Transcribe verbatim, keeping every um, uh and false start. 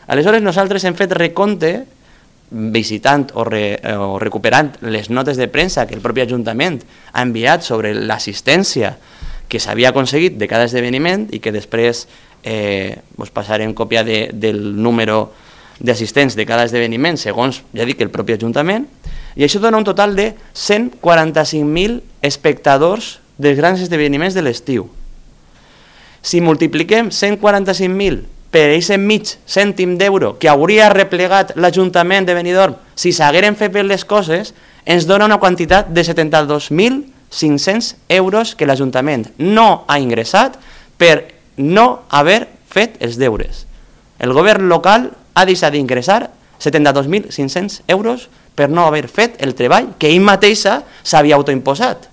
Aleshores nosaltres hem fet recompte, visitant o, re, o recuperant les notes de premsa que el propi Ajuntament ha enviat sobre l'assistència que s'havia aconseguit de cada esdeveniment i que després eh, us passarem còpia de, del número d'assistents de cada esdeveniment segons, ja dic, el propi Ajuntament, i això dona un total de cent quaranta-cinc mil espectadors dels grans esdeveniments de l'estiu. Si multipliquem cent quaranta-cinc mil per aquest mig cèntim d'euro que hauria replegat l'Ajuntament de Benidorm si s'hagueren fet bé les coses, ens dona una quantitat de setanta-dos mil cinc-cents euros que l'Ajuntament no ha ingressat per no haver fet els deures. El govern local ha deixat d'ingressar setanta-dos mil cinc-cents euros per no haver fet el treball que ell mateixa s'havia autoimposat.